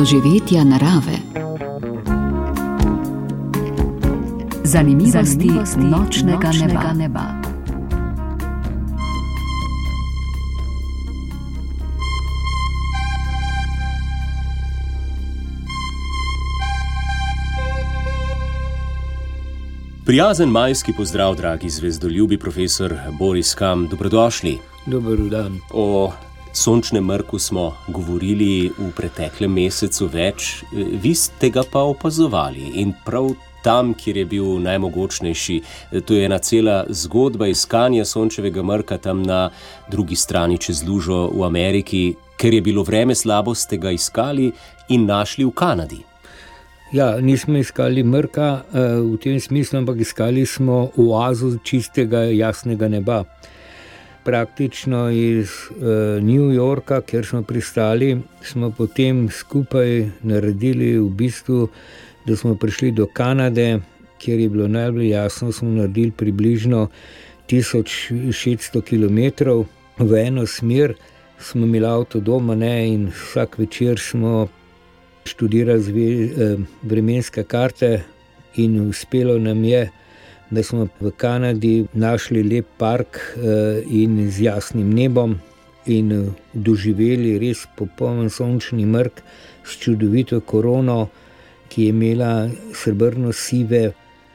doživetja narave. Zanimivosti nočnega neba. Prijazen majski pozdrav, dragi zvezdoljubi, profesor Boris Kam, dobrodošli. Dober dan. O sončnem mrku smo govorili v preteklem mesecu več, vi ste ga pa opazovali in prav tam, kjer je bil najmogočnejši. To je ena cela zgodba iskanja sončevega mrka tam na drugi strani čez lužo v Ameriki, ker je bilo vreme slabo, ste ga iskali in našli v Kanadi. Ja, nismo iskali mrka v tem smislu, ampak iskali smo oazo čistega, jasnega neba. Praktično iz New Yorka, kjer smo pristali, smo potem skupaj naredili v bistvu, da smo prišli do Kanade, kjer je bilo najbolj jasno, smo naredili približno 1600 kilometrov v eno smer, smo imeli avto doma, in vsak večer smo študirali vremenske karte in uspelo nam je, da smo v Kanadi našli lep park in z jasnim nebom in doživeli res popoln sončni mrk s čudovito korono, ki je imela srebrno-sive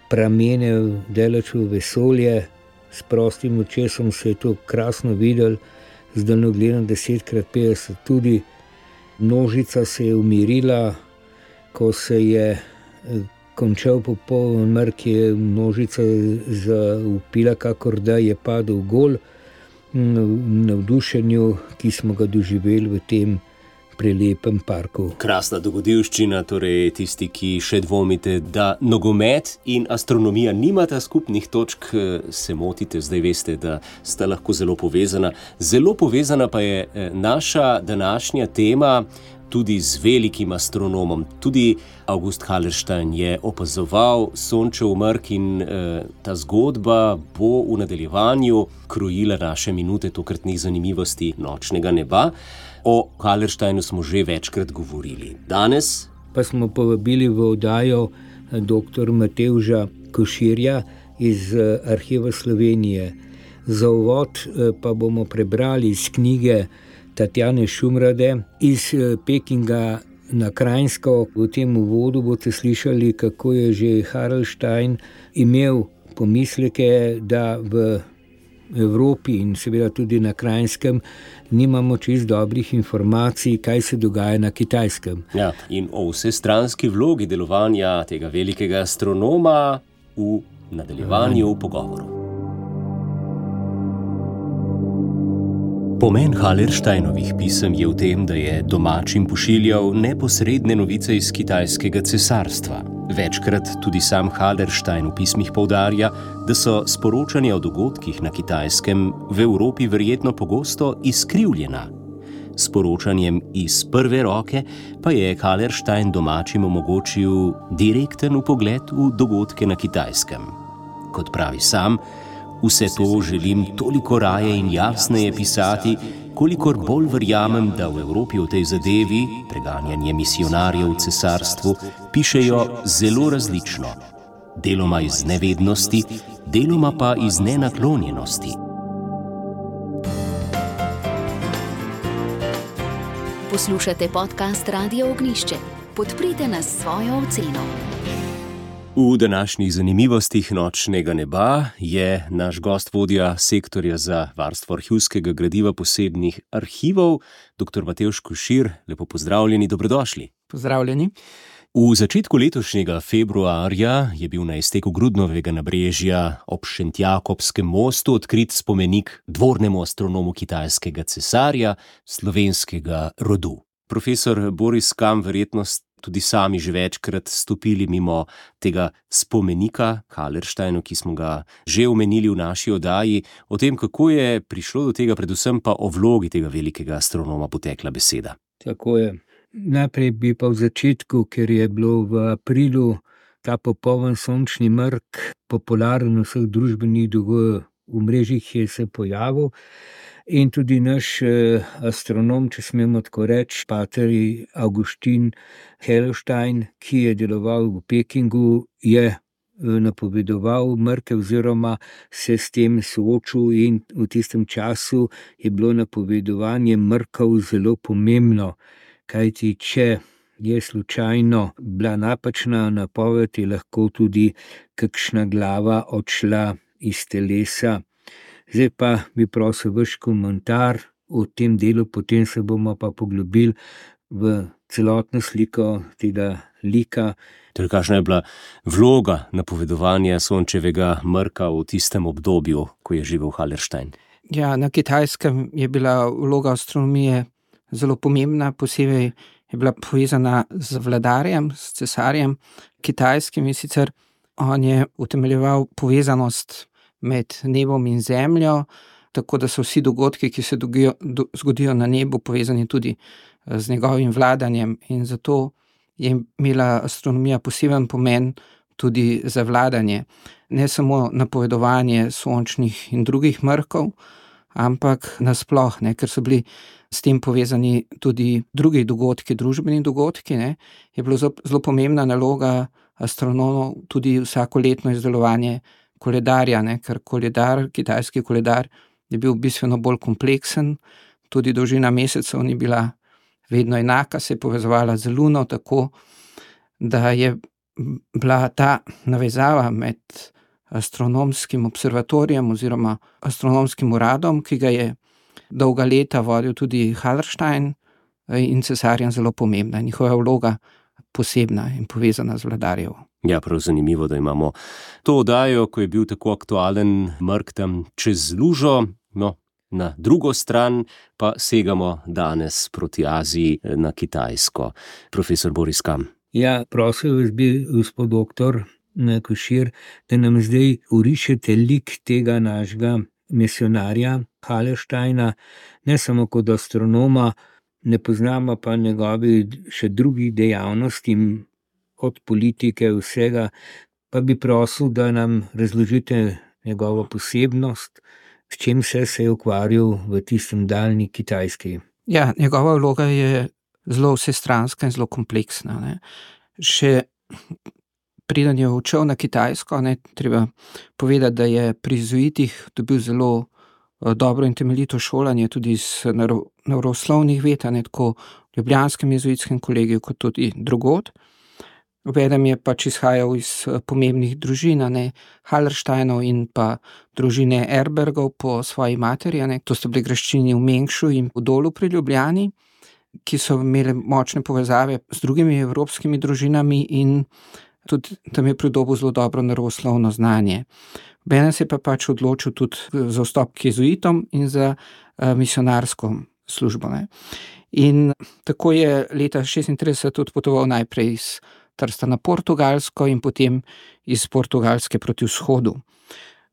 pramene daleč v vesolje. S prostim očesom se je to krasno videl, z daljnogledom 10x50 tudi. Množica se je umirila, ko se je končal popoln mrk, je množica zaupila, kakor da je padel gol v navdušenju, ki smo ga doživeli v tem prelepem parku. Krasna dogodivščina, torej tisti, ki še dvomite, da nogomet in astronomija nimata skupnih točk, se motite, zdaj veste, da sta lahko zelo povezana. Zelo povezana pa je naša današnja tema tudi z velikim astronomom. Tudi August Hallerstein je opazoval sončev mrk in ta zgodba bo v nadaljevanju krojila naše minute tokratnih zanimivosti nočnega neba. O Hallersteinu smo že večkrat govorili. Danes pa smo povabili v oddajo dr. Matevža Koširja iz Arhiva Slovenije. Za uvod pa bomo prebrali iz knjige Tatjane Šumrade iz Pekinga na Kranjsko. V tem uvodu boste slišali, kako je že Hallerstein imel pomisleke, da v Evropi in seveda tudi na Kranjskem nimamo čisto dobrih informacij, kaj se dogaja na Kitajskem. Ja, in o vsestranski vlogi delovanja tega velikega astronoma v nadaljevanju pogovorov. Pomen Hallersteinovih pisem je v tem, da je domačim pošiljal neposredne novice iz kitajskega cesarstva. Večkrat tudi sam Hallerstein v pismih poudarja, da so sporočanja o dogodkih na Kitajskem v Evropi verjetno pogosto izkrivljena. S poročanjem iz prve roke pa je Hallerstein domačim omogočil direkten vpogled v dogodke na Kitajskem. Kot pravi sam, vse to želim toliko raje in jasneje pisati, kolikor bolj verjamem, da v Evropi o tej zadevi, preganjanje misionarjev v cesarstvu, pišejo zelo različno. Deloma iz nevednosti, deloma pa iz nenaklonjenosti. Poslušate podcast Radio Ognjišče. Podprite nas s svojo oceno. V današnjih zanimivostih nočnega neba je naš gost vodja sektorja za varstvo arhivskega gradiva posebnih arhivov, dr. Matevž Košir. Lepo pozdravljeni, dobrodošli. Pozdravljeni. V začetku letošnjega februarja je bil na izteku Grudnovega nabrežja ob Šentjakobskem mostu odkrit spomenik dvornemu astronomu kitajskega cesarja slovenskega rodu. Profesor Boris Kam, verjetno tudi sami že večkrat stopili mimo tega spomenika Hallersteinu, ki smo ga že omenili v naši oddaji. O tem, kako je prišlo do tega, predvsem pa o vlogi tega velikega astronoma potekla beseda. Tako je. Najprej bi pa v začetku, ker je bilo v aprilu ta popoln sončni mrk popularen v vseh družbenih omrežjih, je se pojavil In tudi naš astronom, če smemo tako reči, pater Augustin Hellstein, ki je deloval v Pekingu, je napovedoval mrke oziroma se s tem soočil, in v tistem času je bilo napovedovanje mrkov zelo pomembno, kajti če je slučajno bila napačna napoved, je lahko tudi kakšna glava odšla iz telesa. Zdaj pa bi prosil vaš komentar o tem delu, potem se bomo pa poglobili v celotno sliko tega lika. Torej, kakšna je bila vloga napovedovanja sončevega mrka v tistem obdobju, ko je živel Hallerstein? Ja, na Kitajskem je bila vloga astronomije zelo pomembna, posebej je bila povezana z vladarjem, s cesarjem kitajskim, in sicer on je utemeljeval povezanost med nebom in zemljo, tako da so vsi dogodki, ki se zgodijo na nebu, povezani tudi z njegovim vladanjem, in zato je imela astronomija poseben pomen tudi za vladanje. Ne samo napovedovanje sončnih in drugih mrkov, ampak nasploh, ker so bili s tem povezani tudi drugi dogodki, družbeni dogodki, je bilo zelo pomembna naloga astronomov tudi vsakoletno izdelovanje koledarja, ker koledar, kitajski koledar je bil bistveno bolj kompleksen, tudi dolžina mesecev ni bila vedno enaka, se je povezovala z luno, tako da je bila ta navezava med astronomskim observatorijem oziroma astronomskim uradom, ki ga je dolga leta vodil tudi Hallerstein, in cesarjem zelo pomembna, njihova vloga posebna in povezana z vladarjev. Ja, prav zanimivo, da imamo to oddajo, ko je bil tako aktualen mrk tam čez lužo, na drugo stran pa segamo danes proti Aziji na Kitajsko. Profesor Boris Kam. Ja, prosil vas bi, gospod doktor Košir, da nam zdaj orišete lik tega našega misionarja Hallersteina, ne samo kot astronoma, ne poznamo pa njegovi še drugih dejavnosti, od politike vsega, pa bi prosil, da nam razložite njegovo posebnost, s čim se je ukvarjal v tistem daljni Kitajski. Ja, njegova vloga je zelo vsestranska in zelo kompleksna. Še preden je odšel na Kitajsko, treba povedati, da je pri jezuitih dobil zelo dobro in temeljito šolanje tudi iz naravoslovnih ved, tako v ljubljanskem jezuitskem kolegiju kot tudi drugod. Obenem je izhajal iz pomembnih družin, Hallersteinov in pa družine Erbergov po svoji materi. To so bili graščini v Mengšu in v Dolu pri Ljubljani, ki so imeli močne povezave z drugimi evropskimi družinami, in tudi tam je pridobil zelo dobro naravoslovno znanje. Obenem se je pa odločil tudi za vstop k jezuitom in za misionarsko službo. In tako je leta 1936 odpotoval najprej iz Trsta na Portugalsko in potem iz Portugalske proti vzhodu.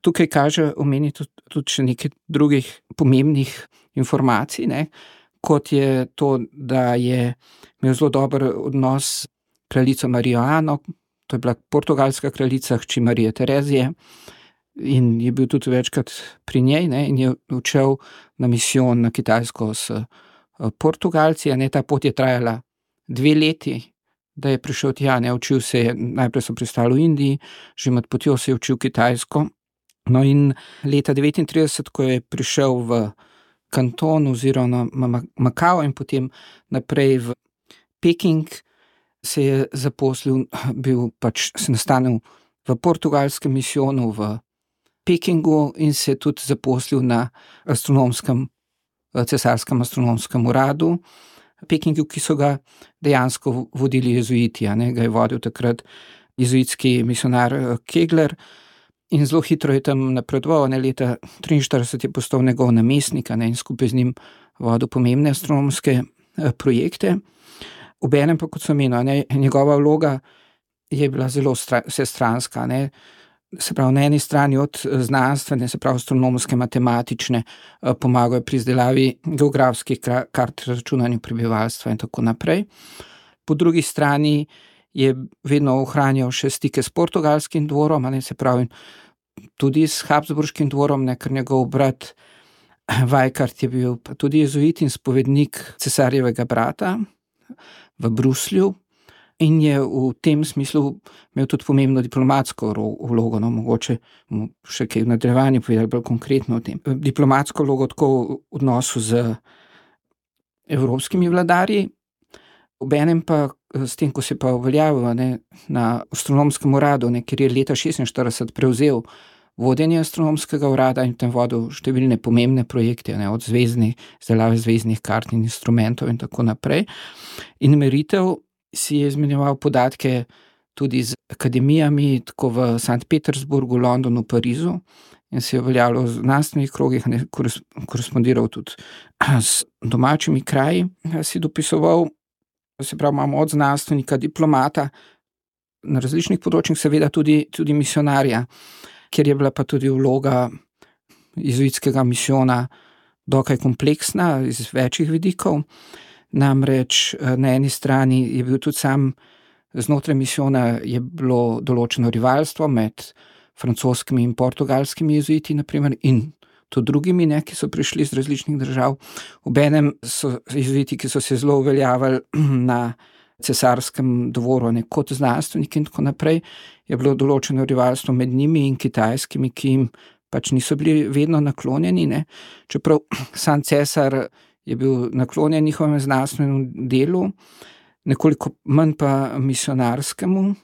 Tukaj kaže omeniti tudi še nekaj drugih pomembnih informacij, kot je to, da je imel zelo dober odnos s kraljico Marijo Ano, to je bila portugalska kraljica, hči Marije Terezije, in je bil tudi večkrat pri njej, in je odšel na misijon na Kitajsko s Portugalci. Ta pot je trajala 2 leti, da je prišel tja, učil se je, najprej so pristali v Indiji, že med potjo se je učil kitajsko. In leta 1939, ko je prišel v Kanton oziroma Makao in potem naprej v Peking, se je zaposlil, se nastanil v portugalskem misijonu v Pekingu in se je tudi zaposlil na cesarskem astronomskem uradu Pekingu, ki so ga dejansko vodili jezuiti, ga je vodil takrat jezuitski misionar Kegler, in zelo hitro je tam napredoval. Leta 1943 je postal njegov namestnik, in skupaj z njim vodil pomembne astronomske projekte. Obenem pa, kot sem omenil, njegova vloga je bila zelo vsestranska. Se pravi, na eni strani od znanstvene, se pravi astronomske, matematične, pomagajo pri izdelavi geografskih kart, računanju prebivalstva in tako naprej. Po drugi strani je vedno ohranjal še stike s portugalskim dvorom, se pravi tudi s Habsburškim dvorom, ker njegov brat Weikart je bil pa tudi jezuit in spovednik cesarjevega brata v Bruslju in je v tem smislu imel tudi pomembno diplomatsko vlogo, mogoče še kaj v nadaljevanju povedali bolj konkretno o tem. Diplomatsko vlogo tako v odnosu z evropskimi vladarji, obenem pa s tem, ko se pa uveljavil na astronomskem uradu, ker je leta 1946 prevzel vodenje astronomskega urada in tam vodil številne pomembne projekte, od izdelave zvezdnih kart in instrumentov in tako naprej. In meritev si je izmenjeval podatke tudi z akademijami, tako v Sankt Petersburgu, Londonu, Parizu, in se je uveljavljal v znanstvenih krogih, korespondiral tudi s domačimi kraji, si dopisoval, se pravi, imamo od znanstvenika, diplomata, na različnih področjih seveda tudi misionarja, ker je bila pa tudi vloga jezuitskega misijona dokaj kompleksna iz večjih vidikov. Namreč na eni strani je bil tudi sam znotraj misijona je bilo določeno rivalstvo med francoskimi in portugalskimi jezuiti, naprimer, in tudi drugimi, ki so prišli iz različnih držav. Obenem so jezuiti, ki so se zelo uveljavili na cesarskem dvoru, kot znanstveniki in tako naprej, je bilo določeno rivalstvo med njimi in kitajskimi, ki jim pač niso bili vedno naklonjeni, čeprav sam cesar je bil naklonjen njihovemu znanstvenemu delu, nekoliko manj pa misionarskemu,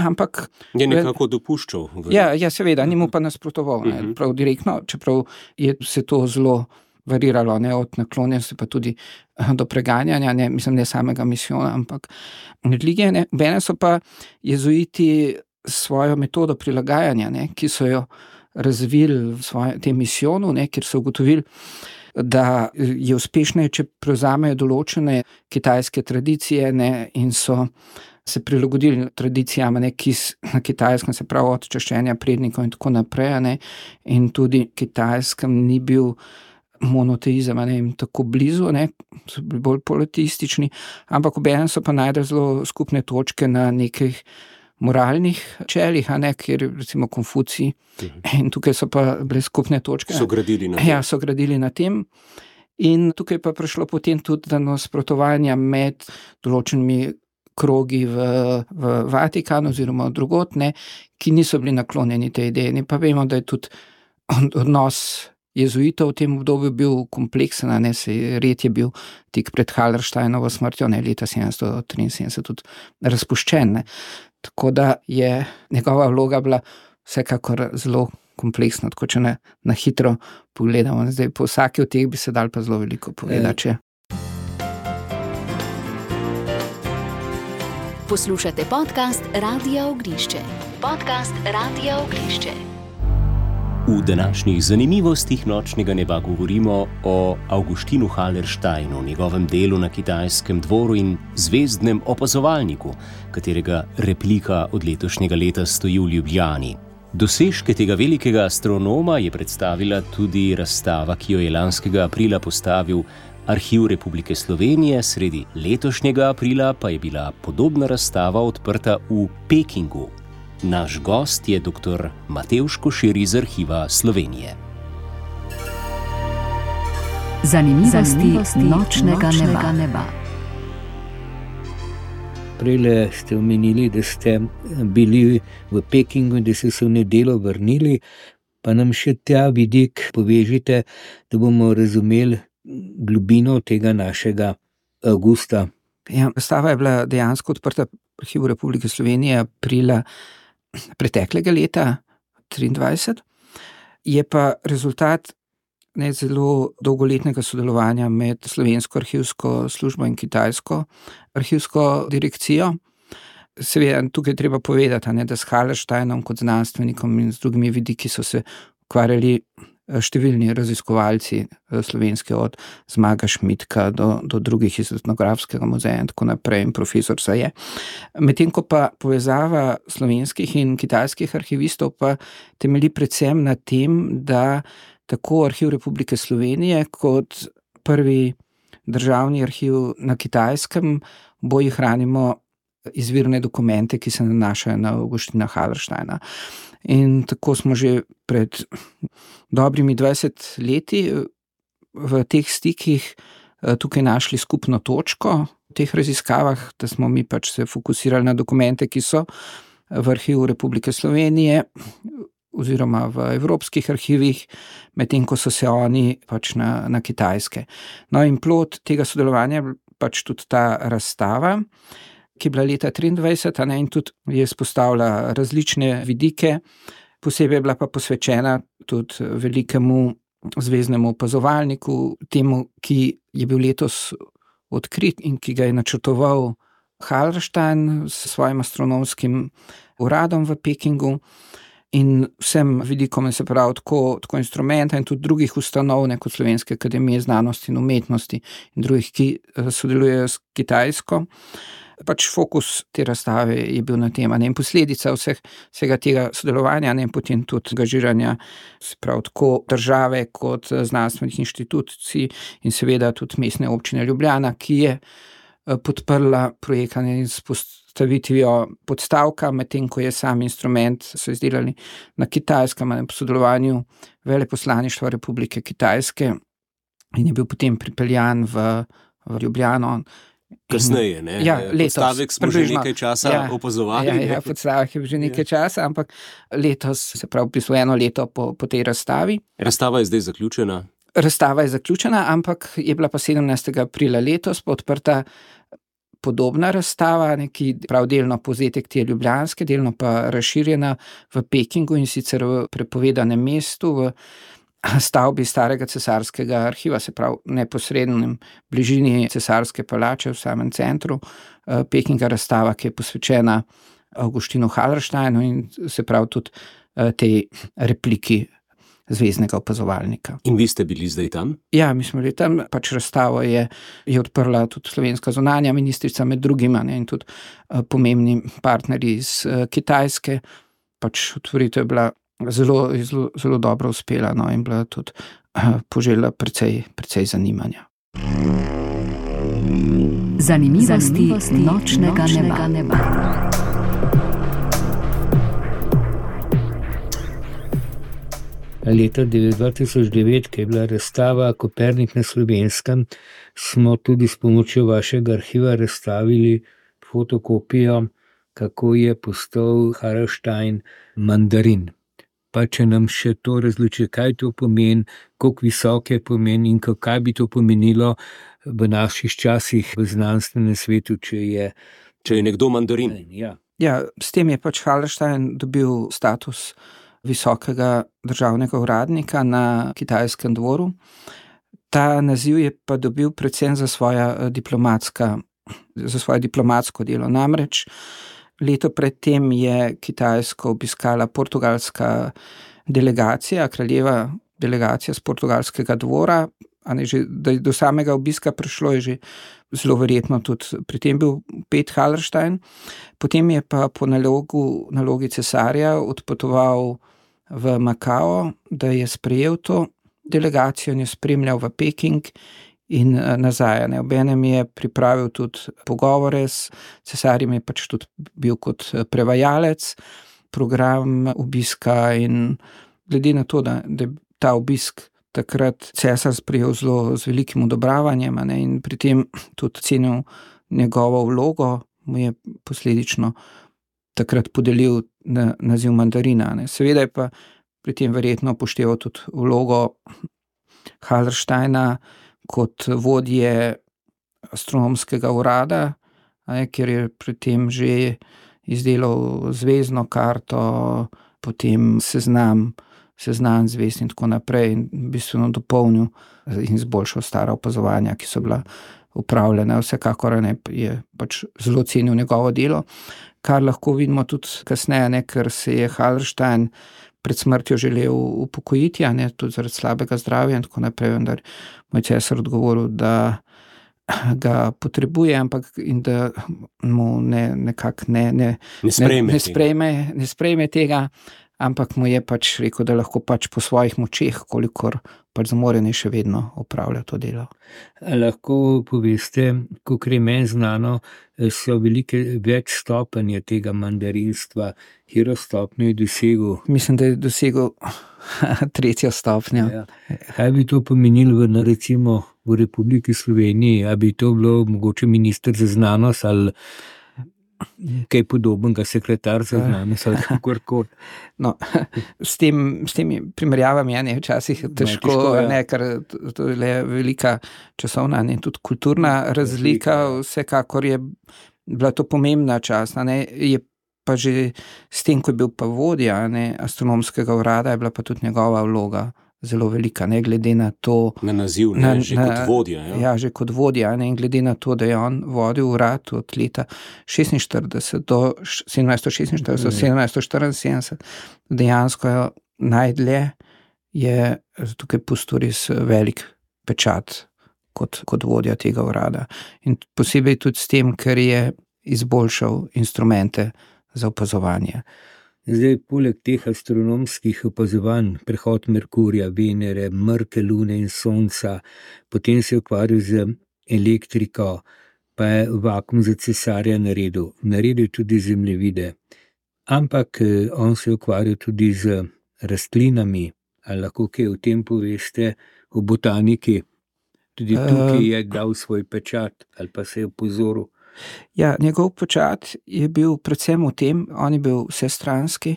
ampak je nekako dopuščal. Ja, seveda, ni mu pa nasprotoval, prav direktno, čeprav je se to zelo variralo, od naklonjenosti pa tudi do preganjanja, ne samega misijona, ampak religije. Bene so pa jezuiti svojo metodo prilagajanja, ki so jo razvili v tem misijonu, kjer so ugotovili, da je uspešneje, če prevzamejo določene kitajske tradicije, in so se prilagodili tradicijam, ki na Kitajskem, se pravi od čaščenja prednikov in tako naprej, in tudi Kitajskem ni bil monoteizem, jim tako blizu, so bili bolj politeistični, ampak obenem so pa najdeli zelo skupne točke na nekih moralnih čelih, kjer recimo Konfucij, in tukaj so pa bile skupne točke. So gradili na tem. Ja, so gradili na tem. In tukaj pa prišlo potem tudi do nasprotovanja med določenimi krogi v Vatikanu oziroma drugod, ki niso bili naklonjeni tej ideji. Pa vemo, da je tudi odnos jezuitov v tem obdobju bil kompleksen, red je bil tik pred Hallersteinovo smrtjo, leta 1773 tudi razpuščen. Tako da je njegova vloga bila vsekakor zelo kompleksna, tako če na hitro pogledamo. Zdaj, po vsaki od teh bi se dal pa zelo veliko povedati. Poslušate podcast Radia Ognišče. Podcast Radia Ognišče. V današnjih zanimivostih nočnega neba govorimo o Augustinu Hallersteinu, njegovem delu na kitajskem dvoru in zvezdnem opazovalniku, katerega replika od letošnjega leta stoji v Ljubljani. Dosežke tega velikega astronoma je predstavila tudi razstava, ki jo je lanskega aprila postavil Arhiv Republike Slovenije, sredi letošnjega aprila pa je bila podobna razstava odprta v Pekingu. Naš gost je dr. Matevž Košir iz Arhiva Slovenije. Zanimivosti nočnega neba. Prejle ste omenili, da ste bili v Pekingu in da ste se v nedeljo vrnili, pa nam še ta vidik povežite, da bomo razumeli globino tega našega Avgusta. Ja, razstava je bila dejansko odprta v Arhivu Republike Slovenije aprila preteklega leta 2023, je pa rezultat zelo dolgoletnega sodelovanja med Slovensko arhivsko službo in Kitajsko arhivsko direkcijo. Seveda, tukaj treba povedati, da s Hallersteinom kot znanstvenikom in z drugimi vidiki so se ukvarjali številni raziskovalci slovenske, od Zmaga Šmitka do drugih iz Etnografskega muzeja in tako naprej, in profesor Saje. Medtem ko pa povezava slovenskih in kitajskih arhivistov pa temelji predvsem na tem, da tako Arhiv Republike Slovenije kot prvi državni arhiv na Kitajskem oboji hranimo izvirne dokumente, ki se nanašajo na Augustina Hallersteina. In tako smo že pred dobrimi 20 leti v teh stikih tukaj našli skupno točko v teh raziskavah, da smo mi pač se fokusirali na dokumente, ki so v arhivu Republike Slovenije oziroma v evropskih arhivih, medtem ko so se oni pač na Kitajske. No in plod tega sodelovanja je pač tudi ta razstava, ki je bila leta 2023, in tudi je izpostavila različne vidike, posebej je bila pa posvečena tudi velikemu zveznemu opazovalniku, temu, ki je bil letos odkrit in ki ga je načrtoval Hallerstein s svojim astronomskim uradom v Pekingu in vsem vidikom, se pravi tako instrumenta in tudi drugih ustanov, kot Slovenske akademije znanosti in umetnosti in drugih, ki sodelujejo s Kitajsko. Pač fokus te razstave je bil na tem, in posledica vsega tega sodelovanja, in potem tudi angažiranja, se pravi tako države kot znanstvenih inštitucij in seveda tudi mestne občine Ljubljana, ki je podprla projekt s postavitvijo podstavka, medtem ko je sam instrument so izdelali na Kitajskem, po sodelovanju Veleposlaništva Republike Kitajske in je bil potem pripeljan v Ljubljano. Kasneje, ne? Ja, letos. Podstavek smo že nekaj časa opazovali. Ja, podstavek je že nekaj časa, ampak letos, se pravi, eno leto po tej razstavi. Razstava je zdaj zaključena? Razstava je zaključena, ampak je bila pa 17. aprila letos odprta podobna razstava, ki prav delno povzetek te ljubljanske, delno pa razširjena v Pekingu, in sicer v prepovedanem mestu, v stavbi starega cesarskega arhiva, se pravi neposrednem bližini cesarske palače v samem centru Pekinga, razstava, ki je posvečena Augustinu Hallersteinu in se pravi tudi tej repliki zveznega opazovalnika. In vi ste bili zdaj tam? Ja, mi smo bili tam, pač razstavo je odprla tudi slovenska zunanja ministrica med drugima, in tudi pomembni partnerji iz Kitajske. Pač otvoritev je bila zelo dobro uspela, in bila tudi požela precej zanimanja. Zanimivosti nočnega neba. Leta 2009, ki je bila razstava Kopernik na Slovenskem, smo tudi s pomočjo vašega arhiva razstavili fotokopijo, kako je postal Hallerstein mandarin. Pa če nam še to razloči, kaj to pomeni, koliko visok je pomen in kaj bi to pomenilo v naših časih v znanstvenem svetu, če je nekdo mandarin. Ja, s tem je pač Hallerstein dobil status visokega državnega uradnika na kitajskem dvoru. Ta naziv je pa dobil predvsem za svoje diplomatsko delo. Namreč leto predtem je Kitajsko obiskala portugalska delegacija, kraljeva delegacija z portugalskega dvora, da je do samega obiska prišlo, je že zelo verjetno tudi pri tem bil Pet Hallerstein. Potem je pa po nalogi cesarja odpotoval v Makao, da je sprejel to delegacijo in je spremljal v Peking in nazaj. Obenem je pripravil tudi pogovore s cesarjem, je pač tudi bil kot prevajalec, program obiska, in glede na to, da je ta obisk takrat cesar sprejel z velikim odobravanjem, in pri tem tudi cenil njegovo vlogo, mu je posledično takrat podelil naziv mandarina. Seveda je pa pri tem verjetno upošteval tudi vlogo Hallersteina kot vodje astronomskega urada, ker je pri tem že izdelal zvezdno karto, potem seznam zvezd in tako naprej, in bistveno dopolnil in izboljšal stara opazovanja, ki so bila upravljena. Vsekakor je pač zelo cenil njegovo delo, kar lahko vidimo tudi kasneje, ker se je Hallerstein pred smrtjo želel upokojiti, tudi zaradi slabega zdravja in tako naprej, vendar moj cesar odgovoril, da ga potrebuje, ampak in da mu ne sprejme tega, ampak mu je pač rekel, da lahko pač po svojih močeh, kolikor pač zmore, ne še vedno opravlja to delo. Lahko poveste, kolikor je meni znano, so velike več stopenje tega mandarinstva. Katero stopnjo je dosegel? Mislim, da je dosegel 3. stopnjo. Ja. Kaj bi to pomenilo recimo v Republiki Sloveniji? A bi to bilo mogoče minister za znanost ali kaj podobnega, sekretar za znanost ali kakorkoli? No, s temi primerjavami je včasih težko, ker to je le velika časovna in tudi kulturna razlika. Vsekakor je bila to pomembna čas, je pa že s tem, ko je bil pa vodja astronomskega urada, je bila pa tudi njegova vloga zelo velika, ne glede na to. Na naziv, že kot vodja. Ja, že kot vodja, in glede na to, da je on vodil urad od leta 1746 do 1774, dejansko najdlje je tukaj pustil res velik pečat kot vodja tega urada. In posebej tudi s tem, ker je izboljšal instrumente za opazovanje. Zdaj, poleg teh astronomskih opazovanj, prehod Merkurja, Venere, mrke lune in sonca, potem se je ukvarjal z elektriko, pa je vakuum za cesarja naredil tudi zemljevide. Ampak on se je ukvarjal tudi z rastlinami. Ali lahko kaj o tem poveste, o botaniki? Tudi tukaj je dal svoj pečat ali pa se je opozoril. Ja, njegov pečat je bil predvsem v tem, on je bil vsestranski,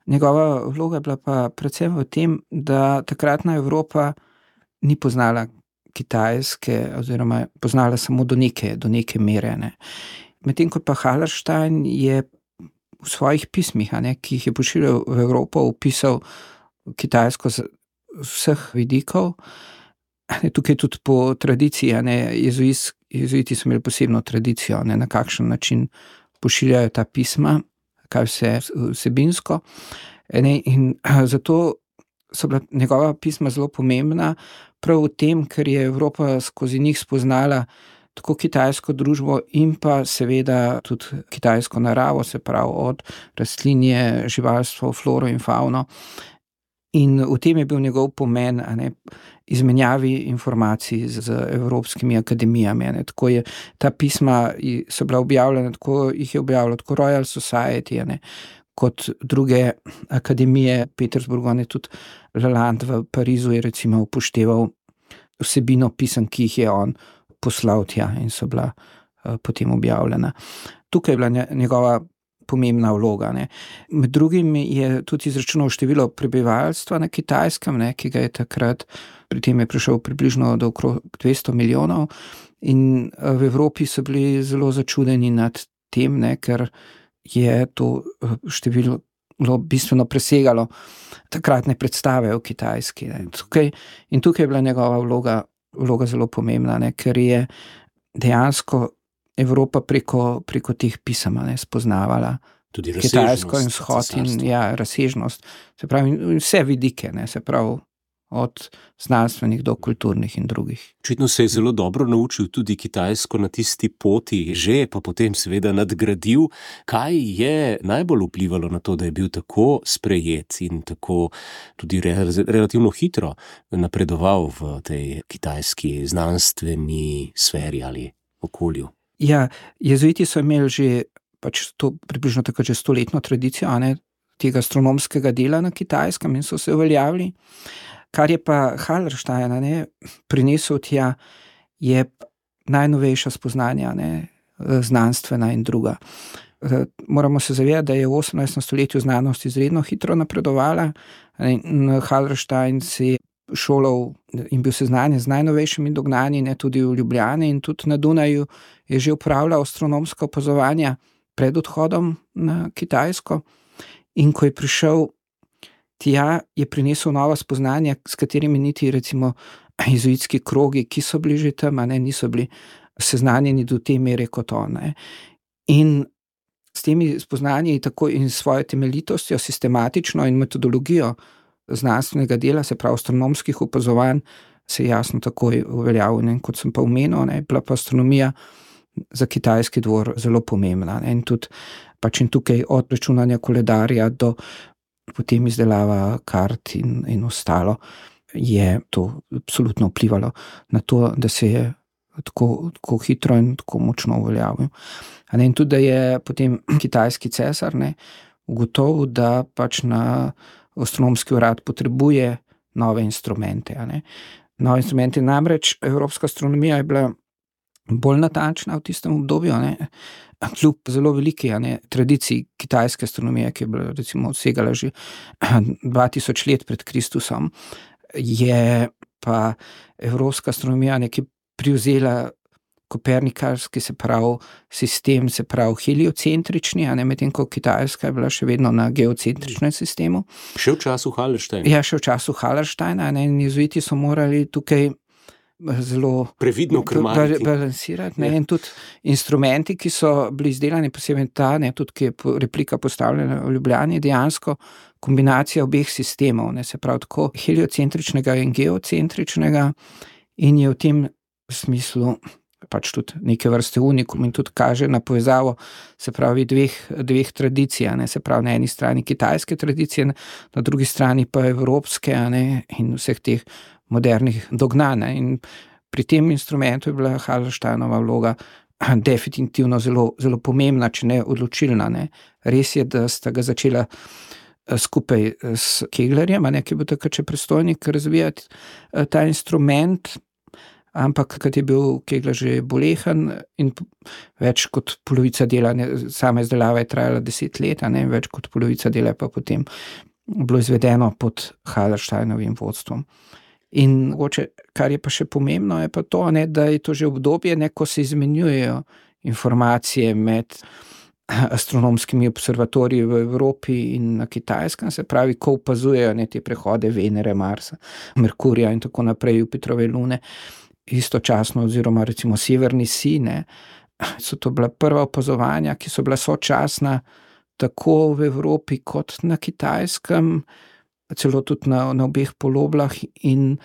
njegova vloga je bila pa predvsem v tem, da takratna Evropa ni poznala Kitajske oziroma poznala samo do neke mere. Medtem ko pa Hallerstein je v svojih pismih, ki jih je pošiljal v Evropo, opisal Kitajsko z vseh vidikov. Tukaj tudi po tradiciji, jezuiti so imeli posebno tradicijo, na kakšen način pošiljajo ta pisma, kaj vse vsebinsko. In zato so bila njegova pisma zelo pomembna, prav v tem, ker je Evropa skozi njih spoznala tako kitajsko družbo in pa seveda tudi kitajsko naravo, se pravi od rastlinje, živalstvo, floro in fauno. In v tem je bil njegov pomen, izmenjavi informacij z evropskimi akademijami. Tako je ta pisma so bila objavljena, tako jih je objavljalo tako Royal Society, kot druge akademije. Petersburgu, tudi Lalande v Parizu je recimo upošteval vsebino pisem, ki jih je on poslal tja in so bila potem objavljena. Tukaj je bila njegova pomembna vloga. Med drugim je tudi izračunal število prebivalstva na Kitajskem, ki ga je takrat, pri tem je prišel približno do okrog 200 milijonov, in v Evropi so bili zelo začudeni nad tem, ker je to število bistveno presegalo takratne predstave o Kitajski. In tukaj je bila njegova vloga zelo pomembna, ker je dejansko Evropa preko teh pisem spoznavala tudi Kitajsko in vzhod in razsežnost, se pravi vse vidike, se pravi od znanstvenih do kulturnih in drugih. Očitno se je zelo dobro naučil tudi kitajsko na tisti poti, že pa potem seveda nadgradil. Kaj je najbolj vplivalo na to, da je bil tako sprejet in tako tudi relativno hitro napredoval v tej kitajski znanstveni sferi ali okolju? Ja, jezuiti so imeli že približno tako že 100-letno tradicijo tega astronomskega dela na Kitajskem in so se uveljavili. Kar je pa Hallerstein prinesel tja, je najnovejša spoznanja, znanstvena in druga. Moramo se zavedati, da je v 18. stoletju znanost izredno hitro napredovala. Hallerstein se je šolal in bil seznanjen z najnovejšimi dognanji, tudi v Ljubljani in tudi na Dunaju je že opravljal astronomska opazovanja pred odhodom na Kitajsko. In ko je prišel tja, je prinesel nova spoznanja, s katerimi niti recimo jezuitski krogi, ki so bili že tam, niso bili seznanjeni do te mere kot on. In s temi spoznanji tako in svojo temeljitostjo, sistematično in metodologijo znanstvenega dela, se pravi astronomskih opazovanj, se je jasno takoj uveljavil. Kot sem pa omenil, bila pa astronomija za kitajski dvor zelo pomembna. In tudi in tukaj od računanja koledarja do potem izdelava kart in ostalo, je to absolutno vplivalo na to, da se je tako hitro in tako močno uveljavil. In tudi, da je potem kitajski cesar ugotovil, da pač na astronomski urad potrebuje nove instrumente. Nove instrumente, namreč evropska astronomija je bila bolj natančna v tistem obdobju, kljub zelo veliki tradiciji kitajske astronomije, ki je bila recimo odsegala že 2000 let pred Kristusom, je pa evropska astronomija nekaj privzela kopernikarski, se pravi sistem, se pravi heliocentrični, medtem ko Kitajska je bila še vedno na geocentričnem sistemu. Še v času Hallersteina. Ja, še v času Hallersteina, in jezuiti so morali tukaj zelo previdno balansirati. In tudi instrumenti, ki so bili izdelani, posebej ta, tudi ki je replika postavljena v Ljubljani, dejansko kombinacija obeh sistemov, se pravi tako heliocentričnega in geocentričnega, in je v tem smislu pač tudi neke vrste unikum in tudi kaže na povezavo, se pravi dveh tradicij, se pravi na eni strani kitajske tradicije, na drugi strani pa evropske, in vseh teh modernih dognanj. In pri tem instrumentu je bila Hallersteinova vloga definitivno zelo, zelo pomembna, če ne odločilna. Res je, da sta ga začela skupaj s Keglerjem, ki je bil takrat še predstojnik, razvijati ta instrument, ampak kad je bil Kegler že bolehen in več kot polovica dela, sama izdelava je trajala 10 let, več kot polovica dela pa potem bilo izvedeno pod Hallersteinovim vodstvom. In mogoče, kar je pa še pomembno, je pa to, da je to že obdobje, ko se izmenjujejo informacije med astronomskimi observatoriji v Evropi in na Kitajskem, se pravi, ko opazujejo te prehode Venere, Marsa, Merkurja in tako naprej, Jupitrove lune, istočasno oziroma recimo severni sij, so to bila prva opazovanja, ki so bila sočasna tako v Evropi kot na Kitajskem, celo tudi na obeh poloblah, in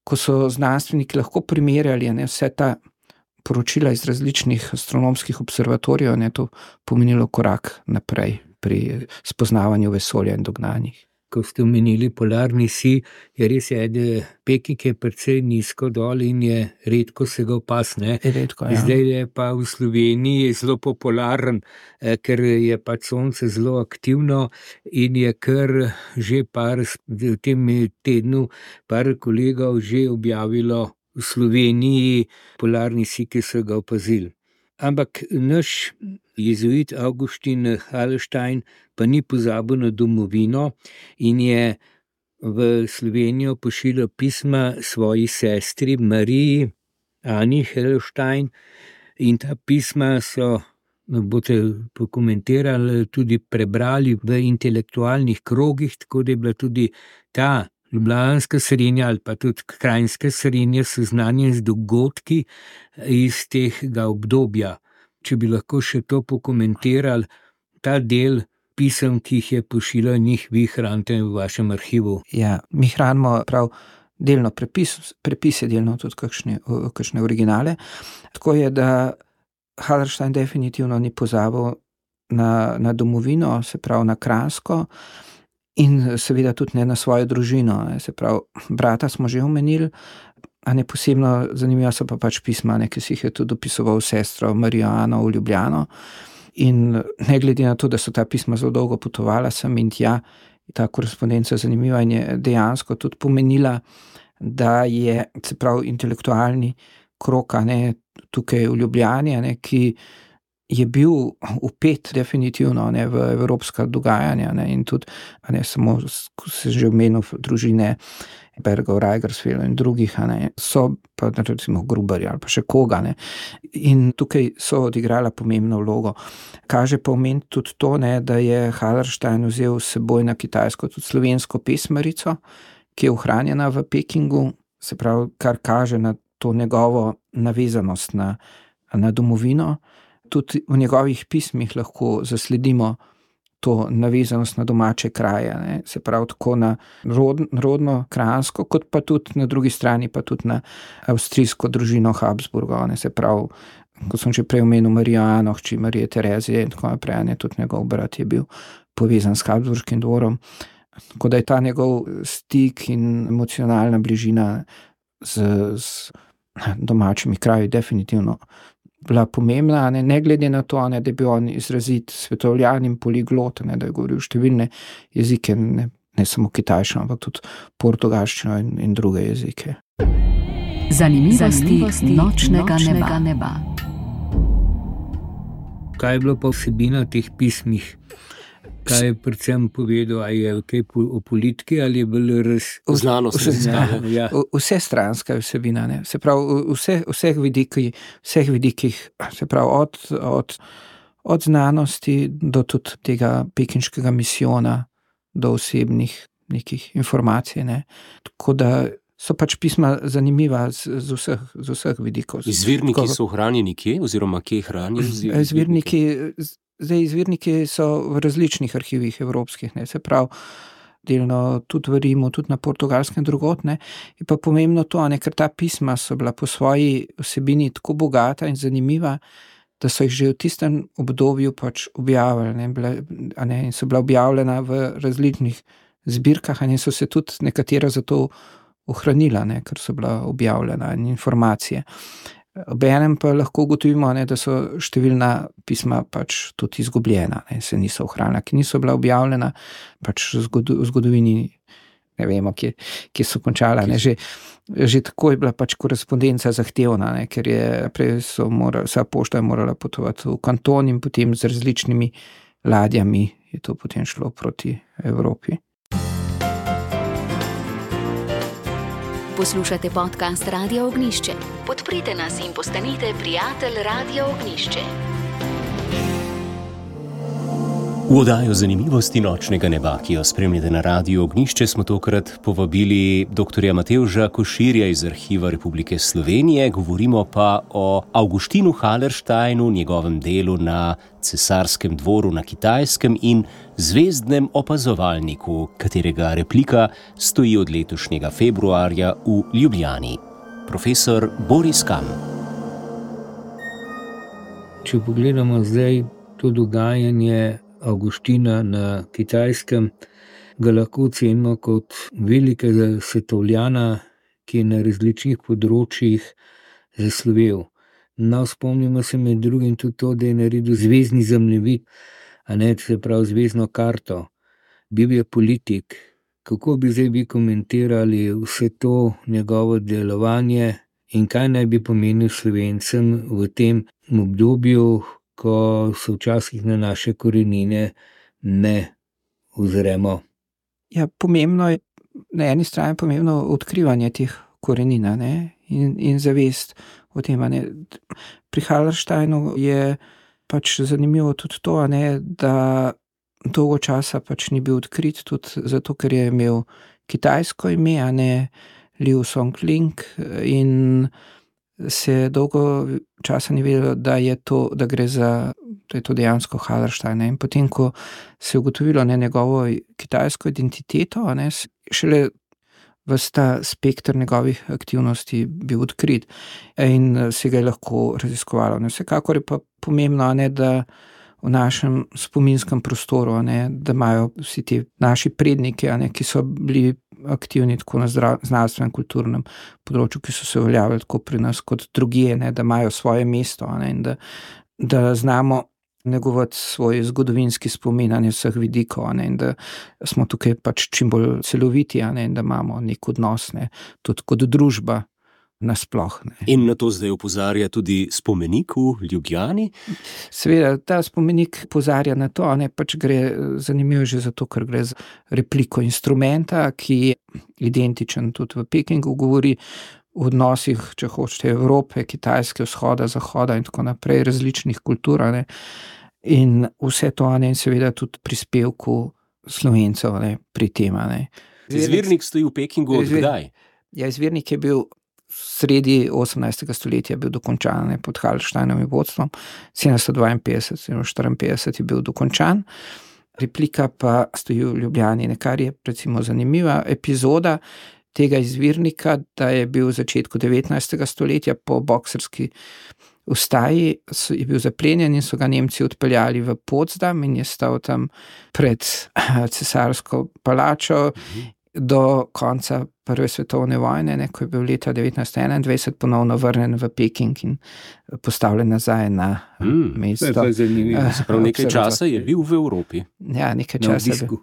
ko so znanstveniki lahko primerjali vse ta poročila iz različnih astronomskih observatorijev, to pomenilo korak naprej pri spoznavanju vesolja in dognanjih. Ko ste omenili polarni sij, je res, da Peking je precej nizko dol in je redko se ga opaziti. Redko, ja. Zdaj je pa v Sloveniji zelo popularen, ker je pač sonce zelo aktivno in je kar že v tem tednu par kolegov že objavilo v Sloveniji polarni sij, ki so ga opazili. Ampak naš jezuit Augustin Hallerstein pa ni pozabil na domovino in je v Slovenijo pošiljal pisma svoji sestri Mariji Ani Hallerstein, in ta pisma so, boste pokomentirali, tudi prebrali v intelektualnih krogih, tako da je bila tudi ta ljubljanska srednja ali pa tudi kranjska srednja seznanjen z dogodki iz tega obdobja. Če bi lahko še to pokomentirali, ta del pisem, ki jih je pošiljal, njih vi hranite v vašem arhivu. Ja, mi hranimo prav delno prepise, delno tudi kakšne originale. Tako je, da Hallerstein definitivno ni pozabil na domovino, se pravi na Kranjsko, in seveda tudi ne na svojo družino. Se pravi, brata smo že omenili, a ne posebno zanimiva so pa pač pisma, ki si jih je tudi dopisoval sestro Marijo Ano v Ljubljano. In ne glede na to, da so ta pisma zelo dolgo potovala sem in tja, ta korespondenca zanimiva in je dejansko tudi pomenila, da je, se pravi, intelektualni krog tukaj v Ljubljani, ki je bil vpet definitivno v evropska dogajanja, in tudi samo, ko se že omenil družine Bergov, Reigersfeld in drugih, so pa recimo Gruberja ali pa še koga. In tukaj so odigrala pomembno vlogo. Kaže pa omeniti tudi to, da je Hallerstein vzel s seboj na Kitajsko tudi slovensko pesmarico, ki je ohranjena v Pekingu, se pravi, kar kaže na to njegovo navezanost na domovino. Tudi v njegovih pismih lahko zasledimo to navezanost na domače kraje, se pravi tako na rodno Kranjsko, kot pa tudi na drugi strani, pa tudi na avstrijsko družino Habsburgov, se pravi, kot sem že prej omenil, Marijo Ano, hči Marije Terezije in tako naprej, tudi njegov brat je bil povezan s Habsburškim dvorom, Tako da je ta njegov stik in emocionalna bližina z domačimi kraji definitivno bila pomembna, ne glede na to, da je bil on izrazit svetovljan in poliglot, da je govoril številne jezike, ne samo kitajščino, ampak tudi portugalščino in druge jezike. Zanimivosti nočnega neba. Kaj je bilo pa vsebina teh pismih? Kaj je predvsem povedal, ali je kaj o politiki ali je bolj znanost? Vse stranska vsebina, ne? Se pravi, vseh vidikih, se pravi, od znanosti do tudi tega pekinškega misijona, do osebnih nekih informacij, ne? Tako da so pač pisma zanimiva z vseh vidikov. Izvirniki so ohranjeni kje, oziroma kje hranijo? Izvirniki so v različnih arhivih evropskih, ne, se pravi, delno tudi v Rimu, tudi na Portugalskem drugot, ne. Je pa pomembno to, ne, ker ta pisma so bila po svoji vsebini tako bogata in zanimiva, da so jih že v tistem obdobju pač objavili, ne, in so bila objavljena v različnih zbirkah, in so se tudi nekatera zato ohranila, ne, ker so bila objavljena in informacije. Obenem pa lahko ugotovimo, ne, da so številna pisma pač tudi izgubljena, ne, se niso ohranila, ki niso bila objavljena, pač v zgodovini ne vemo, kje so končala. Ne, že tako je bila pač korespondenca zahtevna, ne, ker je prej vsa pošta je morala potovati v kanton in potem z različnimi ladjami je to potem šlo proti Evropi. Poslušate podcast Radio Ognjišče. Podprite nas in postanite prijatelj Radio Ognjišče. V oddajo Zanimivosti nočnega neba, ki jo spremljate na Radiu Ognjišče, smo tokrat povabili dr. Matevža Koširja iz Arhiva Republike Slovenije. Govorimo pa o Augustinu Hallersteinu, njegovem delu na cesarskem dvoru na Kitajskem in zvezdnem opazovalniku, katerega replika stoji od letošnjega februarja v Ljubljani. Profesor Boris Kam. Če pogledamo zdaj to dogajanje Augustina na Kitajskem, ga lahko ocenimo kot velikega svetovljana, ki je na različnih področjih zaslovel. No, spomnimo se med drugim tudi to, da je naredil zvezdni zemljevid, se pravi zvezdno karto. Bil je politik. Kako bi zdaj vi komentirali vse to njegovo delovanje in kaj naj bi pomenil Slovencem v tem obdobju, ko se včasih na naše korenine ne ozremo? Ja, pomembno je, na eni strani pomembno odkrivanje teh korenin, ne, in zavest o tem, ne. Pri Hallersteinu je pač zanimivo tudi to, ne, da dolgo časa pač ni bil odkrit, tudi zato, ker je imel kitajsko ime, ne, Liu Songling, in se dolgo časa ni vedelo, da je to dejansko Hallerstein, ne. In potem, ko se je ugotovilo, ne, njegovo kitajsko identiteto, ne, šele ves ta spekter njegovih aktivnosti bil odkrit in se ga je lahko raziskovalo. Ne. Vsekakor je pa pomembno, ne, da v našem spominskem prostoru, ne, da imajo vsi ti naši predniki, ne, ki so bili aktivni tako na znanstvenem, kulturnem področju, ki so se uveljavili tako pri nas kot drugje, ne, da imajo svoje mesto, ne, in da znamo negovati svoj zgodovinski spomin na vseh vidikov, ne, in da smo tukaj pač čim bolj celoviti, ne, in da imamo nek odnos, ne, tudi kot družba nasploh. Ne. In na to zdaj opozarja tudi spomenik v Ljubljani? Seveda, ta spomenik opozarja na to, ne, pač gre zanimivo že zato, ker gre za repliko instrumenta, ki je identičen tudi v Pekingu, govori o odnosih, če hočete, Evrope, Kitajske, vzhoda, zahoda in tako naprej, različnih kultur, ne, in vse to, ne, in seveda tudi prispevku Slovencev, ne, pri tem, ne. Izvirnik stoji v Pekingu od kdaj? Ja, izvirnik je bil sredi 18. stoletja bil dokončan, ne, pod Hallersteinovim vodstvom, 752 je bil dokončan, replika pa stoji v Ljubljani, kar je recimo zanimiva epizoda tega izvirnika, da je bil v začetku 19. stoletja po boksarski vstaji je bil zaplenjen in so ga Nemci odpeljali v Potsdam in je stal tam pred cesarsko palačo do konca Prve svetovne vojne, ko je bil leta 1921 ponovno vrnen v Peking in postavljen nazaj na mesto. To je zanimivo. Prav nekaj časa je bil v Evropi. Ja, nekaj časa je bil.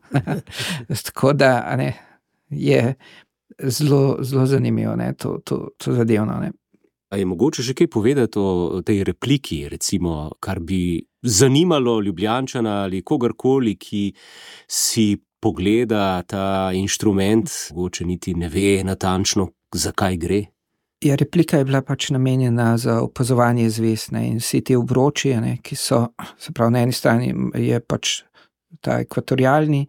Tako da je zelo zanimivo to zadevno. A je mogoče še kaj povedati o tej repliki, recimo, kar bi zanimalo Ljubljančana ali kogarkoli, ki si pogleda ta inštrument, mogoče niti ne ve natančno, zakaj gre? Ja, replika je bila pač namenjena za opazovanje zvezd in vsi te obroči, ki so, se pravi, na eni strani je pač ta ekvatorialni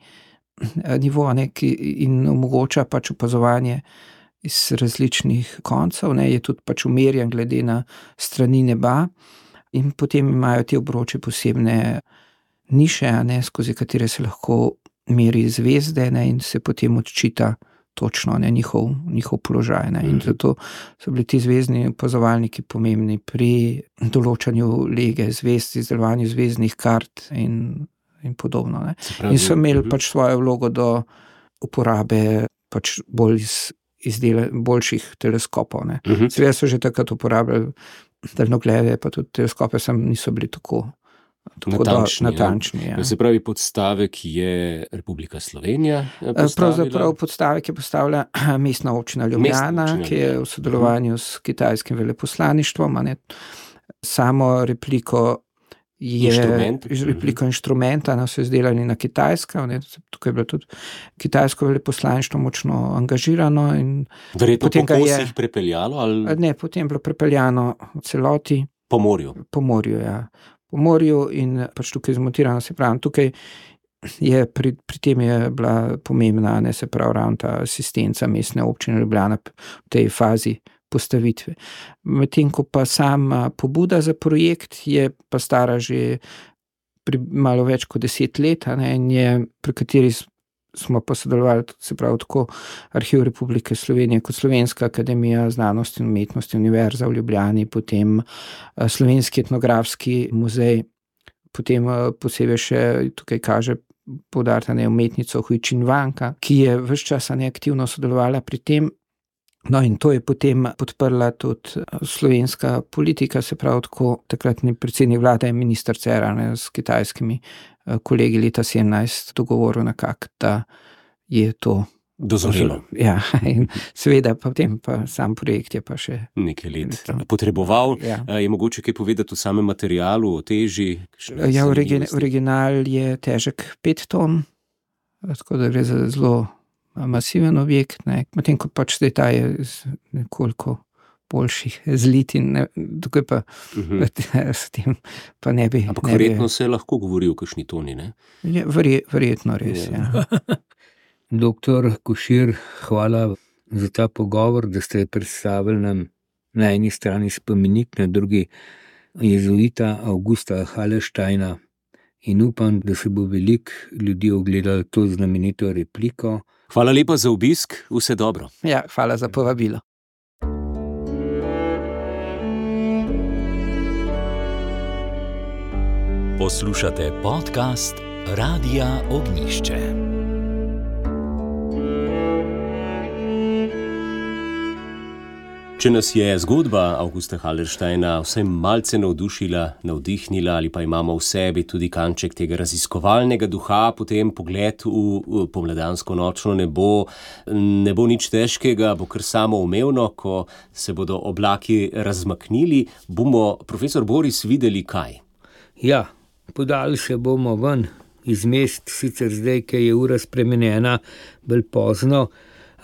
nivo, in omogoča pač opazovanje iz različnih koncev, je tudi pač umerjen glede na strani neba in potem imajo te obroči posebne niše, skozi katere se lahko meri zvezde in se potem odčita točno njihov položaj. In zato so bili ti zvezdni opazovalniki pomembni pri določanju lege zvezd, izdelovanju zvezdnih kart in podobno. In so imeli pač svojo vlogo do uporabe pač boljših teleskopov. Seveda so že takrat uporabljali daljnoglede, pa tudi teleskope niso bili tako natančni. Ja. Se pravi, podstavek je Republika Slovenija postavila? Pravzaprav podstavek je postavila mestna občina Ljubljana, ki je v sodelovanju s kitajskim veleposlaništvom. Samo repliko inštrumenta so izdelali na Kitajsko. Tukaj je bilo tudi kitajsko veleposlaništvo močno angažirano. Verjetno po kosih prepeljalo? Ali? Ne, potem je bilo prepeljano v celoti. Po morju? Po morju, ja. Po morju in pač tukaj zmontirano, se pravi, tukaj je pri tem je bila pomembna, se pravi, ravno ta asistenca mestne občine Ljubljana v tej fazi postavitve. Medtem ko pa sama pobuda za projekt je pa stara že malo več kot 10 let, in je, pri kateri smo pa sodelovali, se pravi, tako Arhiv Republike Slovenije kot Slovenska akademija znanosti in umetnosti, Univerza v Ljubljani, potem Slovenski etnografski muzej, potem posebej še tukaj kaže poudariti umetnico Hui Činvanka, ki je ves čas aktivno sodelovala pri tem. In to je potem podprla tudi slovenska politika, se pravi, tako takratni predsednik vlade in minister Cerar s kitajskimi kolegi leta 17 dogovoril nekako, da je to dozorelo. Ja, in seveda potem pa sam projekt je pa še nekaj let potreboval. Ja. Je mogoče kaj povedati o samem materialu, o teži? Ja, original je težek 5 ton, tako da gre za zelo masiven objekt, medtem ko pač ta je nekoliko boljših zlitin, tukaj pa s tem pa ne bi. Ampak verjetno se lahko govori o kakšni toni, ne? Ja, verjetno res, ja. Doktor Košir, hvala za ta pogovor, da ste predstavili nam na eni strani spomenik, na drugi jezuita Augusta Hallersteina in upam, da se bo veliko ljudi ogledalo to znamenito repliko. Hvala lepa za obisk, vse dobro. Ja, hvala za povabilo. Poslušate podcast Radia Ognišče. Če nas je zgodba Augusta Hallersteina vsaj malce navdihnila ali pa imamo v sebi tudi kanček tega raziskovalnega duha, potem pogled v pomladansko nočno nebo ne bo nič težkega, bo kar samoumevno, ko se bodo oblaki razmaknili, bomo, profesor Boris, videli kaj? Ja, podali se bomo ven iz mest, sicer zdaj, ki je ura spremenjena, bolj pozno,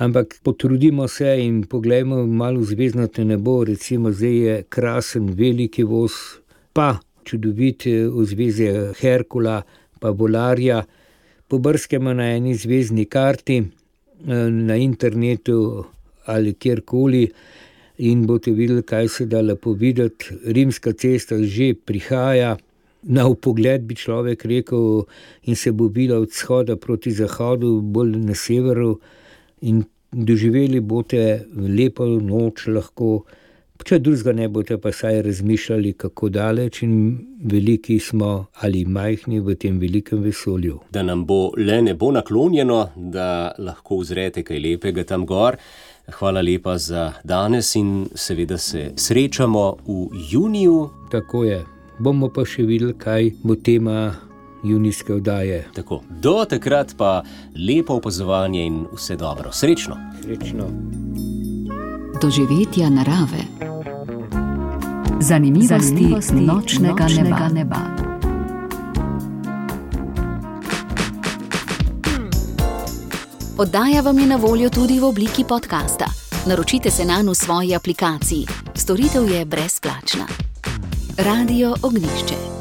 ampak potrudimo se in poglejmo malo v zvezdnato nebo, recimo zdaj je krasen veliki voz, pa čudovit ozvezdje Herkula, pa Volarja. Pobrskajmo na eni zvezdni karti, na internetu ali kjerkoli in boste videli, kaj se da lepo videti. Rimska cesta že prihaja, na vpogled bi človek rekel, in se bo bila od vzhoda proti zahodu, bolj na severu, in doživeli boste lepo noč lahko Če drugega ne boste pa saj razmišljali, kako daleč in veliki smo ali majhni v tem velikem vesolju. Da nam bo le nebo naklonjeno, da lahko uzrete kaj lepega tam gor. Hvala lepa za danes in seveda se srečamo v juniju. Tako je. Bomo pa še videli, kaj bo tema junijske oddaje. Tako. Do takrat pa lepo opazovanje in vse dobro. Srečno. Srečno. Doživetja narave. Zanimivosti nočnega neba. Oddaja vam je na voljo tudi v obliki podcasta. Naročite se nanj v svoji aplikaciji. Storitev je brezplačna. Radio Ognjišče.